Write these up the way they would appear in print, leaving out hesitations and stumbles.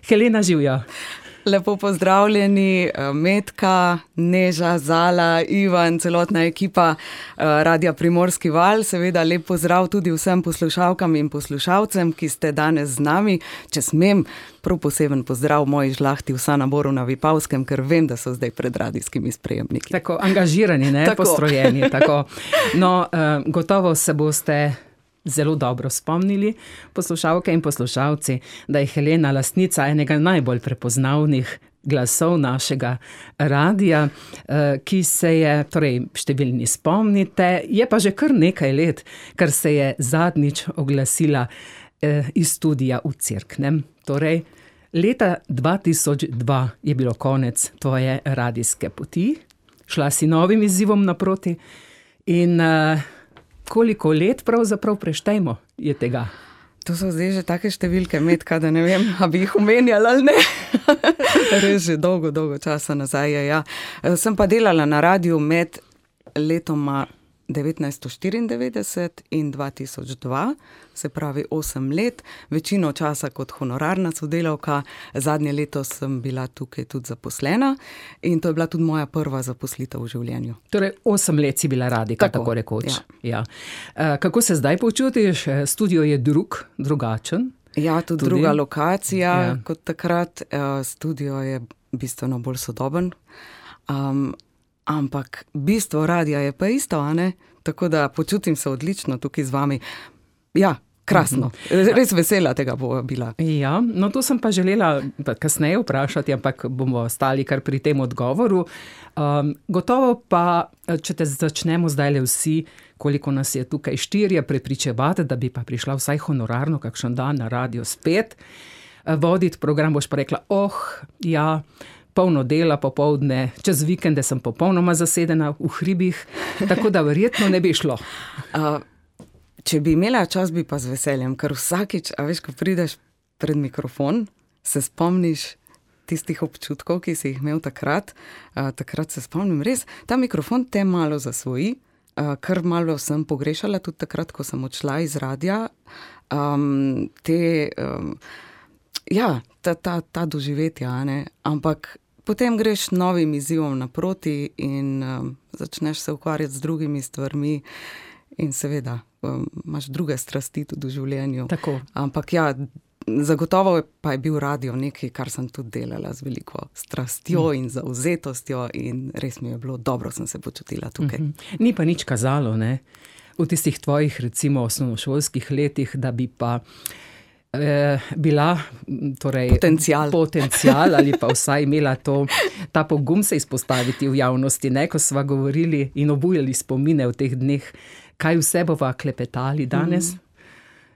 Helena, živjo. Lepo pozdravljeni, Metka, Neža, Zala, Ivan, celotna ekipa Radia Primorski val. Seveda lep pozdrav tudi vsem poslušalkam in poslušalcem, ki ste danes z nami. Če smem, prav poseben pozdrav moji žlahti vsa na Boru na Vipavskem, ker vem, da so zdaj pred radijskimi sprejemniki. Tako angažirani, ne? Tako. Postrojeni. Tako. No, gotovo se boste zelo dobro spomnili, poslušalke in poslušalci, da je Helena lastnica enega najbolj prepoznavnih glasov našega radija, ki se je, torej številni spomnite, je pa že kar nekaj let, kar se je zadnjič oglasila iz studia v Cerknem. Torej, leta 2002 je bilo konec tvoje radijske poti, šla si novim izzivom naproti in koliko let pravzaprav preštejmo je tega? To so zdaj že take številke, Metka, da ne vem, a bi jih omenjala ali ne. Res že dolgo časa nazaj je, ja. Sem pa delala na radiju med letoma 1994 in 2002, se pravi 8 let, večino časa kot honorarna sodelavka, zadnje leto sem bila tukaj tudi zaposlena in to je bila tudi moja prva zaposlitev v življenju. Torej 8 let si bila radijka, tako rekoč. Ja. Kako se zdaj počutiš? Studio je drugačen? Ja, tudi druga lokacija kot takrat. Studio je bistveno bolj sodoben. Ampak bistvo radija je pa isto, a ne? Tako da počutim se odlično tukaj z vami. Ja, krasno. Res vesela tega bo bila. Ja, no to sem pa želela kasneje vprašati, ampak bomo ostali kar pri tem odgovoru. Gotovo pa, če te začnemo zdajle vsi, koliko nas je tukaj 4, prepričevati, da bi pa prišla vsaj honorarno kakšen dan na radio spet, voditi program, boš pa rekla, ja, polno dela popoldne, čez vikende sem popolnoma zasedena v hribih, tako da verjetno ne bi šlo. Če bi imela čas, bi pa z veseljem, ker vsakič, a veš, ko prideš pred mikrofon, se spomniš tistih občutkov, ki si jih imel takrat. Takrat se spomnim res, ta mikrofon te malo zasvoji, kar malo sem pogrešala tudi takrat, ko sem odšla iz radija. Ta doživetja, ne, ampak potem greš novim izzivom naproti in začneš se ukvarjati z drugimi stvarmi in seveda imaš druge strasti tudi v življenju. Tako. Ampak ja, zagotovo pa je bil radio nekaj, kar sem tudi delala z veliko strastjo in zavzetostjo in res mi je bilo dobro, sem se počutila tukaj. Ni pa nič kazalo, ne? V tistih tvojih, recimo, osnovnošolskih letih, da bi pa bila torej potencial ali pa vsaj imela ta pogum se izpostaviti v javnosti, ne, ko sva govorili in obujali spomine v teh dneh, kaj vse bova klepetali danes.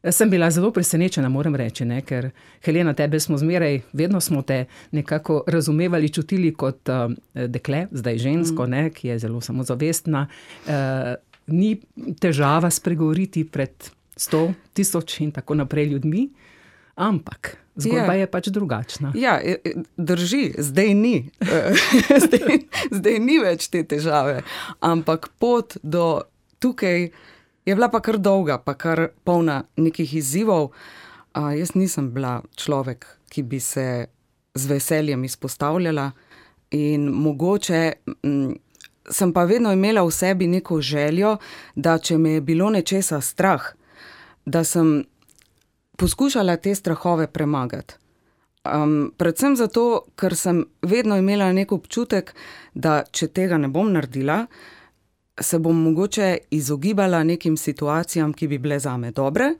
Sem bila zelo presenečena, moram reči, ne, ker Helena, tebe smo zmeraj, vedno smo te nekako razumevali, čutili kot dekle, zdaj žensko, ne, ki je zelo samozavestna. Ni težava spregovoriti pred 100, 1000 in tako naprej ljudmi, ampak zgodba je pač drugačna. Ja, drži, zdaj ni. Zdaj ni več te težave, ampak pot do tukaj je bila pa kar dolga, pa kar polna nekih izzivov. Jaz nisem bila človek, ki bi se z veseljem izpostavljala in mogoče sem pa vedno imela v sebi neko željo, da če me je bilo nečesa strah, da sem poskušala te strahove premagati. Predvsem zato, ker sem vedno imela nek občutek, da če tega ne bom naredila, se bom mogoče izogibala nekim situacijam, ki bi bile zame dobre,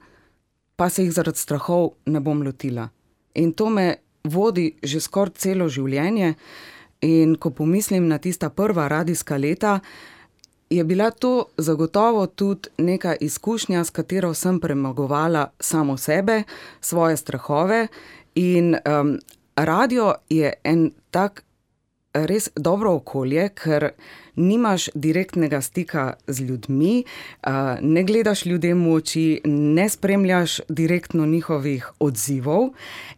pa se jih zaradi strahov ne bom lotila. In to me vodi že skoraj celo življenje in ko pomislim na tista prva radijska leta, je bila to zagotovo tudi neka izkušnja, s katero sem premagovala samo sebe, svoje strahove in radio je en tak res dobro okolje, ker nimaš direktnega stika z ljudmi, ne gledaš ljudem v oči, ne spremljaš direktno njihovih odzivov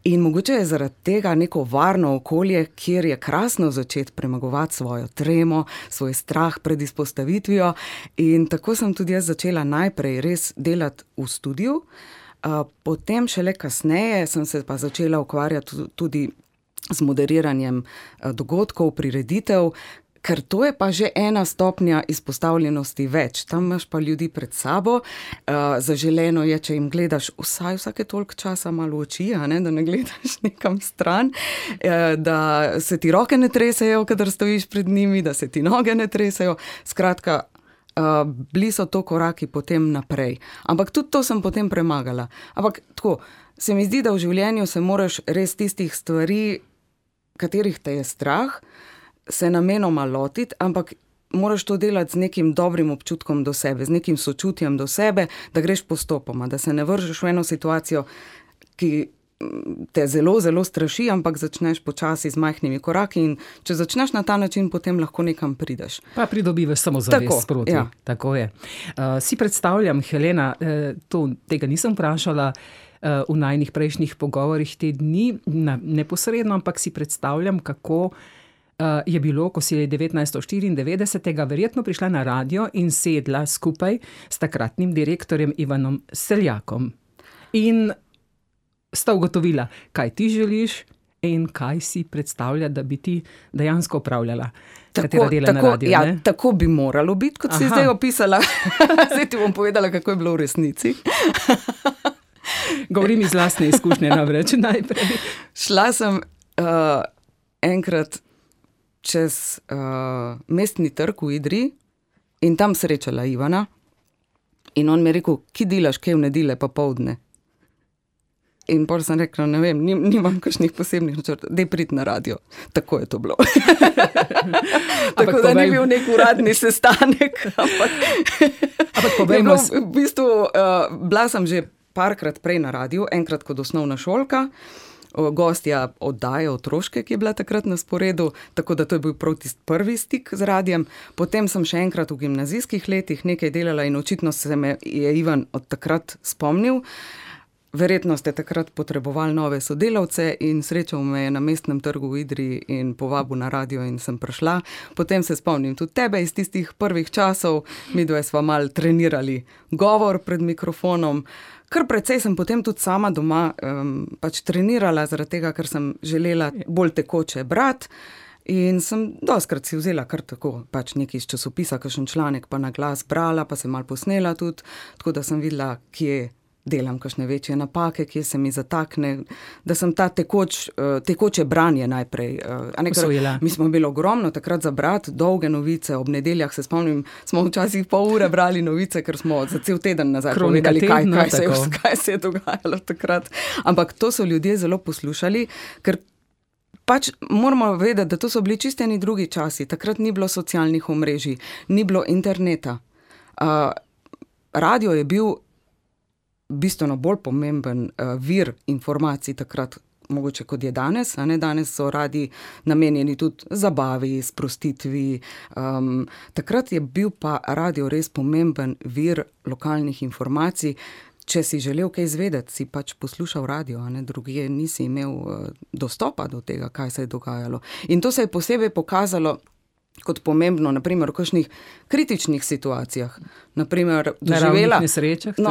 in mogoče je zaradi tega neko varno okolje, kjer je krasno začeti premagovati svojo tremo, svoj strah pred izpostavitvijo in tako sem tudi jaz začela najprej res delati v studiu, Potem šele kasneje sem se pa začela ukvarjati tudi z moderiranjem dogodkov, prireditev, ker to je pa že ena stopnja izpostavljenosti več. Tam imaš pa ljudi pred sabo. Zaželeno je, če jim gledaš vsake toliko časa malo v oči, da ne gledaš nekam stran, da se ti roke ne tresejo, kadar stojiš pred njimi, da se ti noge ne tresejo. Skratka, bili so to koraki potem naprej. Ampak tudi to sem potem premagala. Ampak tako, se mi zdi, da v življenju se moraš res tistih stvari, katerih te je strah, se namenoma lotiti, ampak moraš to delati z nekim dobrim občutkom do sebe, z nekim sočutjem do sebe, da greš postopoma, da se ne vržeš v eno situacijo, ki te zelo, zelo straši, ampak začneš počasi z majhnimi koraki in če začneš na ta način, potem lahko nekam prideš. Pa pridobivaš samozavest sproti. Ja. Tako je. Si predstavljam, Helena, tega nisem vprašala v najnih prejšnjih pogovorih te dni, neposredno, ampak si predstavljam, kako je bilo, ko si 1994. Verjetno prišla na radio in sedla skupaj s takratnim direktorjem Ivanom Seljakom. In sta ugotovila, kaj ti želiš in kaj si predstavlja, da bi ti dejansko upravljala. Katera dela na radiju, ja, tako bi moralo biti, kot si zdaj opisala. Zdaj ti bom povedala, kako je bilo v resnici. Govorim iz lastne izkušnje namreč najprej. Šla sem enkrat čez mestni trg v Idriji in tam srečala Ivana in on mi je rekel, ki delaš kaj v nedelje popoldne? In potem sem rekla, ne vem, nimam kakšnih posebnih načrtov, daj priti na radio. Tako je to bilo. Tako da ni bil nek uradni sestanek. Ampak povejmo... V bistvu, bila sem že parkrat prej na radiju, enkrat kot osnovna šolka, gostja oddaje otroške, ki je bila takrat na sporedu, tako da to je bil prav tisti prvi stik z radijem. Potem sem še enkrat v gimnazijskih letih nekaj delala in očitno se me je Ivan od takrat spomnil. Verjetno ste takrat potrebovali nove sodelavce in srečal me je na mestnem trgu v Idriji in povabil na radio in sem prišla. Potem se spomnim tudi tebe iz tistih prvih časov, midve sva malo trenirali govor pred mikrofonom. Kar precej sem potem tudi sama doma pač trenirala, zaradi tega, ker sem želela bolj tekoče brati. In sem dostikrat si vzela kar tako, pač nekaj iz časopisa, kakšen članek pa na glas brala, pa sem malo posnela tudi, tako da sem videla, kje delam kakšne večje napake, kje se mi zatakne, da sem ta tekoče branje najprej. Mi smo imeli ogromno takrat za brati, dolge novice, ob nedeljah se spomnim, smo včasih pol ure brali novice, ker smo za cel teden nazaj povedali, kaj se je dogajalo takrat. Ampak to so ljudje zelo poslušali, ker pač moramo vedeti, da to so bili čisto eni drugi časi. Takrat ni bilo socialnih omrežij, ni bilo interneta. Radio je bil bistveno bolj pomemben vir informacij takrat, mogoče kot je danes. Danes so radiji namenjeni tudi zabavi, sprostitvi. Takrat je bil pa radio res pomemben vir lokalnih informacij. Če si želel kaj izvedeti, si pač poslušal radio, drugje nisi imel dostopa do tega, kaj se je dogajalo. In to se je posebej pokazalo kot pomembno, naprimer v kakšnih kritičnih situacijah. Naprimer,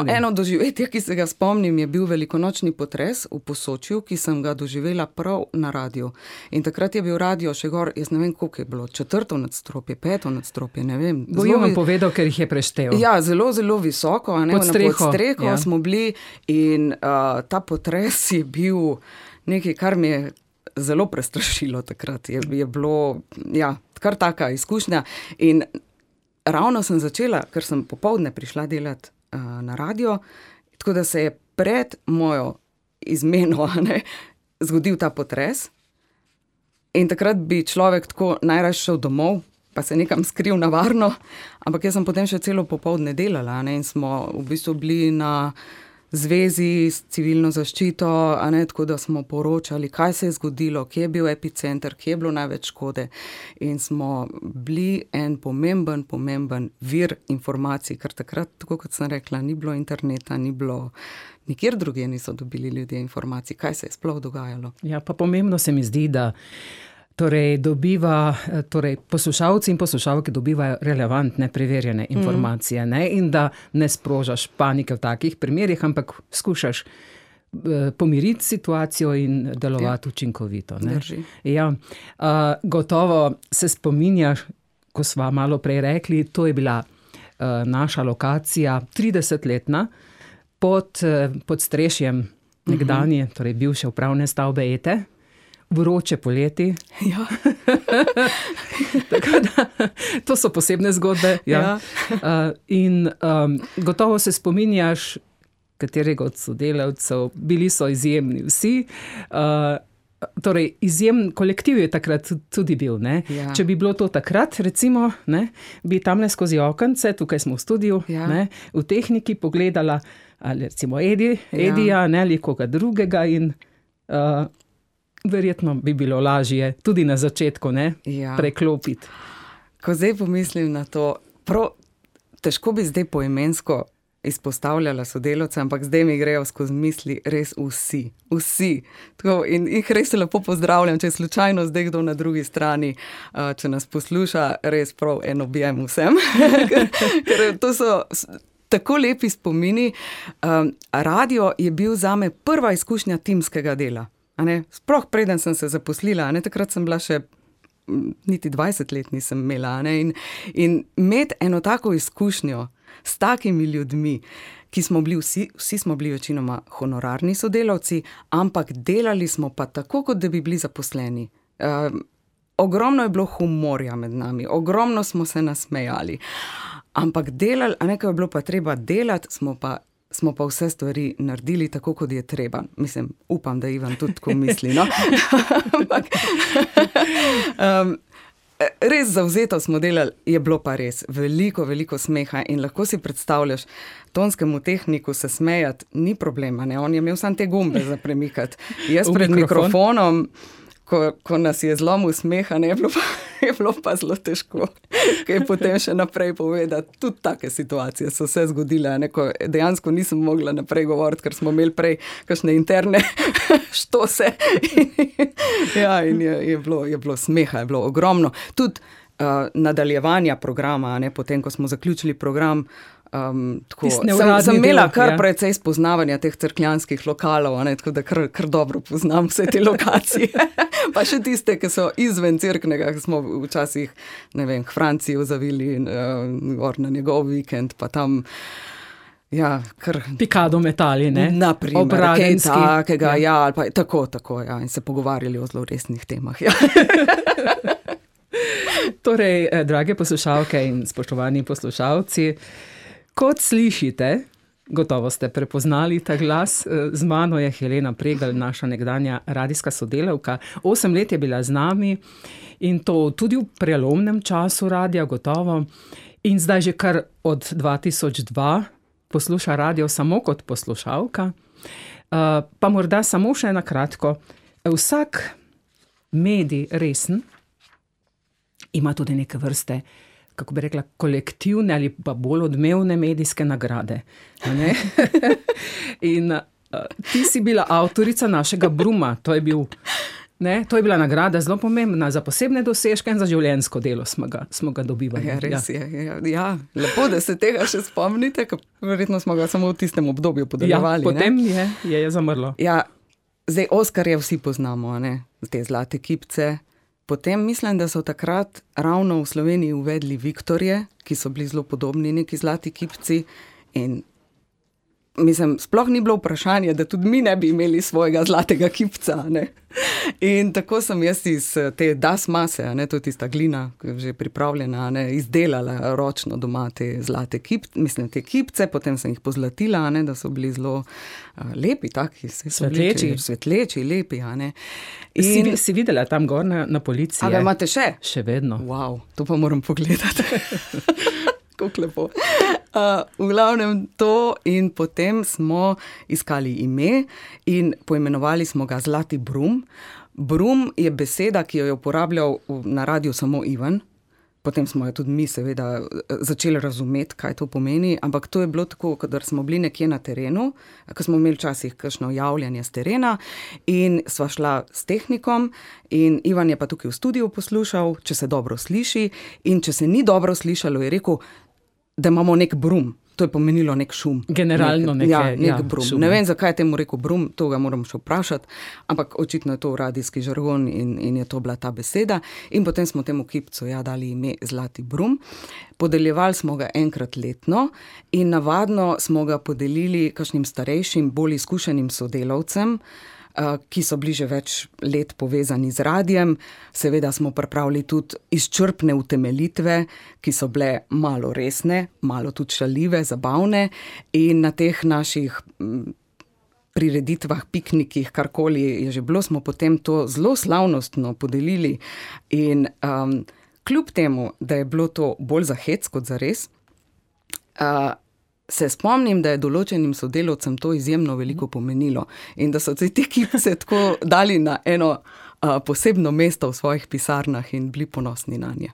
eno doživetje, ki se ga spomnim, je bil velikonočni potres v Posočju, ki sem ga doživela prav na radiju. In takrat je bil radio še gor, jaz ne vem, koliko je bilo, 4. nadstropje, 5. nadstropje, ne vem. Bojo vam povedal, ker jih je preštel. Ja, zelo, zelo visoko, pod streho smo bili in ta potres je bil nekaj, kar mi je zelo prestrašilo takrat. Je bilo, ja, kar taka izkušnja. In ravno sem začela, ker sem popoldne prišla delati na radio, tako da se je pred mojo izmeno zgodil ta potres. In takrat bi človek tako najraje šel domov, pa se nekam skril na varno, ampak jaz sem potem še celo popoldne delala in smo v bistvu bili na zvezi s civilno zaščito, tako da smo poročali, kaj se je zgodilo, kje je bil epicenter, kje je bilo največ škode. In smo bili en pomemben vir informacij, ker takrat, tako kot sem rekla, ni bilo interneta, ni bilo, nikjer drugje niso dobili ljudje informacij, kaj se je sploh dogajalo. Ja, pa pomembno se mi zdi, da poslušalci in poslušalke dobivajo relevantne, preverjene informacije, ne? In da ne sprožaš panike v takih primerih, ampak skušaš pomiriti situacijo in delovati učinkovito. Ne? Ja. Gotovo se spominjaš, ko sva malo prej rekli, to je bila naša lokacija 30-letna pod strešjem nekdanje, torej bivše upravne stavbe Ete. Vroče poleti. Ja. Tako da, to so posebne zgodbe. Ja. In gotovo se spominjaš katerega od sodelavcev, bili so izjemni vsi. Torej, izjemen kolektiv je takrat tudi bil. Ne? Ja. Če bi bilo to takrat, recimo, ne, bi tamle skozi okence, tukaj smo v studiu, ne, v tehniki pogledala, ali recimo Edija, ne, ali koga drugega in verjetno bi bilo lažje tudi na začetku, ne, preklopiti. Ko zdaj pomislim na to, težko bi zdaj poimensko izpostavljala sodelavce, ampak zdaj mi grejo skozi misli res vsi. Tako, in jih res lepo pozdravljam, če je slučajno zdaj kdo na drugi strani, če nas posluša, res prav en objem vsem. ker to so tako lepi spomini. Radio je bil zame prva izkušnja timskega dela. Sploh preden sem se zaposlila, takrat sem bila še niti 20 let nisem imela. In imeti eno tako izkušnjo s takimi ljudmi, ki smo bili vsi smo bili večinoma honorarni sodelavci, ampak delali smo pa tako, kot da bi bili zaposleni. Ogromno je bilo humorja med nami, ogromno smo se nasmejali, ampak delali, nekaj je bilo pa treba delati, smo pa vse stvari naredili tako, kot je treba. Mislim, upam, da Ivan tudi tako misli, no? Ampak res zavzeto smo delali, je bilo pa res veliko smeha in lahko si predstavljaš, tonskemu tehniku se smejati ni problema, ne? On je imel samo te gumbe za premikati. Jaz pred mikrofonom, ko nas je zlomil smeha, ne, je bilo pa zelo težko, kaj potem še naprej povedati. Tudi take situacije so se zgodile, ko dejansko nisem mogla naprej govoriti, ker smo imeli prej kakšne interne štose. In je bilo smeha, je bilo ogromno. Tudi nadaljevanja programa, potem, ko smo zaključili program, sem imela kar precej spoznavanja teh cerkljanskih lokalov, tako da kar dobro poznam vse te lokacije. Pa še tiste, ki so izven Cerknega, ki smo včasih, ne vem, k Franciji zavili gor na njegov vikend, pa tam pikado metali, ne? Naprimer, kaj takega, ali pa tako, in se pogovarjali o zelo resnih temah, Torej, drage poslušalke in spoštovani poslušalci, kot slišite, gotovo ste prepoznali ta glas, z mano je Helena Pregl, naša nekdanja radijska sodelavka. 8 let je bila z nami in to tudi v prelomnem času radia, gotovo. In zdaj že kar od 2002 posluša radio samo kot poslušalka. Pa morda samo še na kratko. Vsak medij resen ima tudi neke vrste, kako bi rekla, kolektivne ali pa bolj odmevne medijske nagrade. Ne? In ti si bila avtorica našega Bruma. To je bila nagrada zelo pomembna za posebne dosežke in za življenjsko delo smo ga dobivali. Res je. Ja, lepo, da se tega še spomnite, ker verjetno smo ga samo v tistem obdobju podeljevali. Potem je zamrlo. Ja, zdaj Oskarje vsi poznamo, te zlate kipce. Potem mislim, da so takrat ravno v Sloveniji uvedli Viktorje, ki so bili zelo podobni neki zlati kipci in mislim, sploh ni bilo vprašanje, da tudi mi ne bi imeli svojega zlatega kipca, In tako sem jaz iz te das mase, to je tista glina, ki je že pripravljena, izdelala ročno doma te zlate te kipce, potem sem jih pozlatila, da so bili zelo lepi, taki, svetleči, lepi, Si videla tam gor na policiji? A ga imate še? Še vedno. Wow, to pa moram pogledati. Kako lepo. V glavnem to in potem smo iskali ime in poimenovali smo ga Zlati Brum. Brum je beseda, ki jo je uporabljal na radiju samo Ivan. Potem smo jo tudi mi seveda začeli razumeti, kaj to pomeni, ampak to je bilo tako, kadar smo bili nekje na terenu, ko smo imeli včasih kakšno javljanje z terena in sva šla s tehnikom in Ivan je pa tukaj v studiu poslušal, če se dobro sliši, in če se ni dobro slišalo, je rekel, da imamo nek brum. To je pomenilo nek šum. Generalno nek brum. Šum. Ne vem, zakaj je temu rekel brum, to ga moram še vprašati, ampak očitno je to radijski žargon in je to bila ta beseda. In potem smo temu kipcu dali ime Zlati brum. Podeljevali smo ga enkrat letno in navadno smo ga podelili kakšnim starejšim, bolj izkušenim sodelavcem, ki so bili že več let povezani z radijem. Seveda smo pripravili tudi izčrpne utemeljitve, ki so bile malo resne, malo tudi šaljive, zabavne, in na teh naših prireditvah, piknikih, karkoli je že bilo, smo potem to zelo slavnostno podelili. In kljub temu, da je bilo to bolj za hec kot za res, se spomnim, da je določenim sodelavcem to izjemno veliko pomenilo in da so se te kipce tako dali na eno posebno mesto v svojih pisarnah in bili ponosni na nje.